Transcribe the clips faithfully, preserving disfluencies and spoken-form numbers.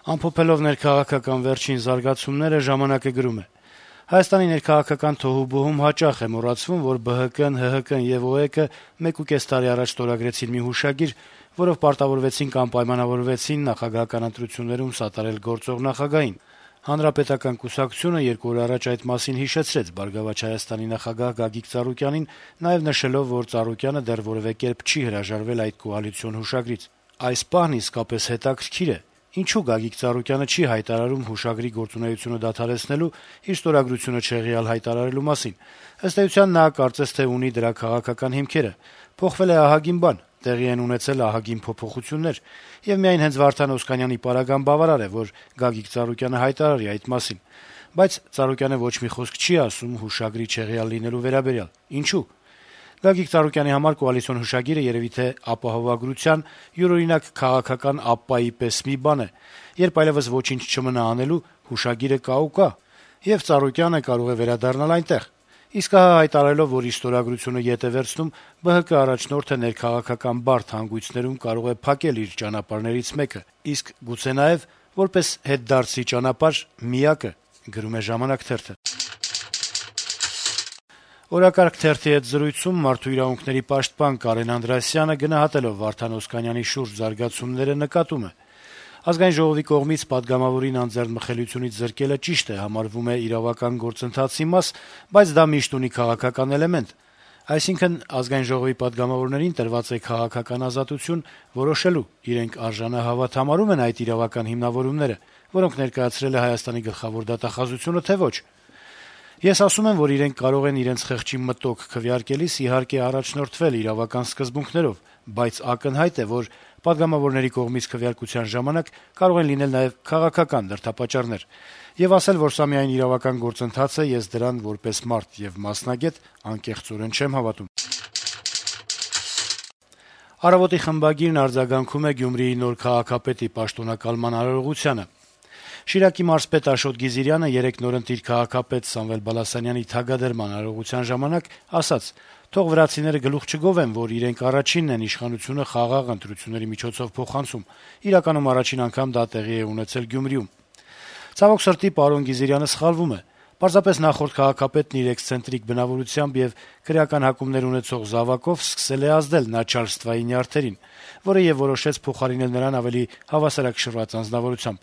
Ամփոփելով ներքաղաքական վերջին զարգացումները «Ժամանակ»-ը գրում է. - «Հայաստանի ներքաղաքական թոհուբոհում հաճախ է մոռացվում, որ ԲՀԿ-ն, ՀՀԿ-ն եւ ՕԵԿ-ը մեկուկես տարի առաջ ստորագրեցին մի հուշագիր, որով պարտավորվեցին կամ պայմանավորվեցին նախագահական ընտրություններում սատարել գործող նախագահին։ Հանրապետական կուսակցությունը երկու օր առաջ այդ մասին հիշեցրեց «Բարգավաճ Հայաստանի» նախագահ Գագիկ Ծառուկյանին, նաեւ նշելով, որ Ծառուկյանը դեռ որեւէ կերպ չի հրաժարվել այդ կոալիցիոն հուշագրից։ Այս պահն իսկապես հետաքրքիր է. ինչու Գագիկ Ծառուկյանը չի հայտարարում հուշագրի գործունեությունը դադարեցնելու, իր ստորագրությունը չեղյալ հայտարարելու մասին։ Ըստ էության նա կարծես թե ունի դրա քաղաքական հիմքերը։ Փոխվել է ահագին բան, տեղի են ունեցել ահագին փոփոխություններ, եւ միայն հենց Վարդան Օսկանյանի պարագան բավարար է, որ Գագիկ Ծառուկյանը հայտարարի այդ մասին։ Բայց Ծառուկյանը ոչ մի խոսք չի ասում հուշագրի չեղյալ լինելու վերաբերյալ։ Ինչու՞։ Գագիկ Ծառուկյանի համար կոալիցիոն հուշագիրը երեւի թե ապահովագրության, յուրօրինակ քաղաքական ապպայի պես մի բան է, երբ այլեւս ոչինչ չմնա անելու, հուշագիրը կա ու կա, եւ Ծառուկյանը կարող է վերադառնալ այնտեղ։ Իսկ ահա հայտարարելով, որ իր ստորագրությունը ետ է վերցնում, ԲՀԿ առաջնորդը ներքաղաքական բարդ հանգույցներում կարող է փակել իր ճանապարհներից մեկը, իսկ գուցե նաեւ որպես հետդարձի ճանապարհ միակը»։ Օրակարգ թերթի հետ զրույցում մարդու իրավունքների պաշտպան Կարեն Անդրեասյանը գնահատելով Վարդան Օսկանյանի շուրջ զարգացումները նկատում է. - «Ազգային ժողովի կողմից պատգամավորին անձեռնմխելիությունից զրկելը ճիշտ է, համարվում է իրավական գործընթացի մաս, բայց դա միշտ ունի քաղաքական էլեմենտ։ Այսինքն Ազգային ժողովի պատգամավորներին տրված է քաղաքական ազատություն որոշելու՝ իրենք արժանահավատ համարում են այդ իրավական հիմնավորումները, որոնք ներկայացրել է Հայաստանի գլխավոր դատախազությունը, թե ոչ։ Ես ասում եմ, որ իրենք կարող են իրենց խեղճի մտոք քվեարկելիս իհարկե առաջնորդվել իրավական սկզբունքներով, բայց ակնհայտ է, որ պատգամավորների կողմից քվեարկության ժամանակ կարող են լինել նաեւ քաղաքական դրդապատճառներ։ Եվ ասել, որ սա միայն իրավական գործընթաց է, ես դրան որպես մարդ եւ մասնագետ անկեղծորեն չեմ հավատում»։ «Առավոտ»-ի խմբագիրն արձագանքում է Գյումրիի նոր քաղաքապետի պաշտոնակալման արարողությանը. - «Շիրակի մարզպետ Աշոտ Գիզիրյանը երեկ նորընտիր քաղաքապետ Սամվել Բալասանյանի թագադրման արարողության ժամանակ ասաց. «Թող վրացիները գլուխ չգովեն, որ իրենք առաջինն են իշխանությունը խաղաղ ընտրությունների միջոցով փոխանցում։ Իրականում առաջին անգամ դա տեղի է ունեցել Գյումրիում»։ Ցավոք սրտի, պարոն Գիզիրյանը սխալվում է։ Պարզապես նախորդ քաղաքապետն իր էքսցենտրիկ բնավորությամբ եւ քրեական հակումներ ունեցող զավակով սկսել է ազդել начальствայի նյարդերին, որը եւ որոշեց փոխարինել նրան ավելի հավասարակշռված անձնավորությամբ։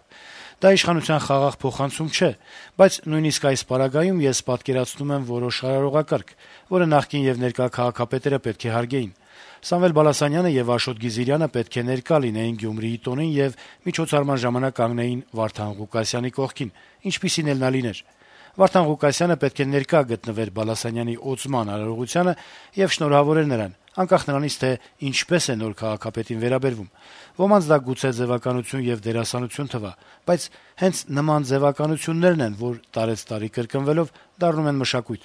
Դա իշխանության խաղաղ փոխանցում չէ, բայց նույնիսկ այս պարագայում ես պատկերացնում եմ որոշ արարողակարգ, որը նախկին եւ ներկա քաղաքապետերը պետք է հարգեին։ Սամվել Բալասանյանը եւ Աշոտ Գիզիրյանը պետք է ներկա լինեին Գյումրիի տոնին եւ միջոցառման ժամանակ կանգնեին Վարդան Ղուկասյանի կողքին, ինչպիսին էլ նա լիներ։ Վարդան Ղուկասյանը պետք է ներկա գտնվեր Բալասանյանի օծման արարողությանը եւ շնորհավորեր նրան, անկախ նրանից, թե ինչպես է նոր քաղաքապետին վերաբերվում։ Ոմանց դա գուցե ձեւականություն եւ դերասանություն թվա, բայց հենց նման ձեւականություններն են, որ տարեցտարի կրկնվելով դառնում են մշակույթ»։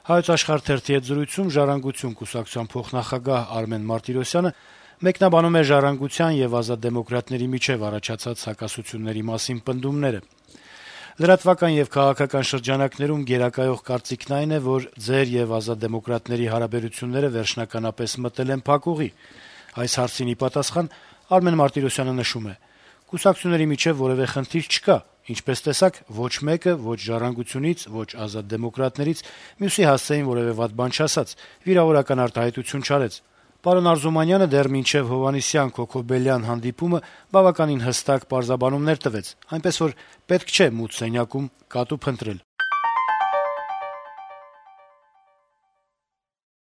«Հայոց Աշխարհ» թերթի հետ զրույցում «Ժառանգություն» կուսակցության փոխնախագահ Արմեն Մարտիրոսյանը մեկնաբանում է «Ժառանգության» եւ «Ազատ դեմոկրատների» միջեւ առաջացած հակասությունների մասին պնդումները. - «Լրատվական եւ քաղաքական շրջանակներում գերակայող կարծիքն այն է, որ ձեր եւ Ազատ դեմոկրատների հարաբերությունները վերջնականապես մտել են փակուղի։ Այս հարցին ի պատասխան Արմեն Մարտիրոսյանը նշում է. «Կուսակցությունների միջեւ որեւէ խնդիր չկա, ինչպես տեսաք, ոչ մեկը, ոչ «Ժառանգությունից», ոչ Ազատ դեմոկրատներից մյուսի հասցեին որեւէ վատ բան չասաց, վիրավորական արտահայտություն չարեց։ Պարոն Արզումանյանը դեռ մինչեւ Հովհաննիսյան-Քոքոբելյան հանդիպումը բավականին հստակ պարզաբանումներ տվեց, այնպես որ պետք չէ մութ սենյակում կատու փնտրել»։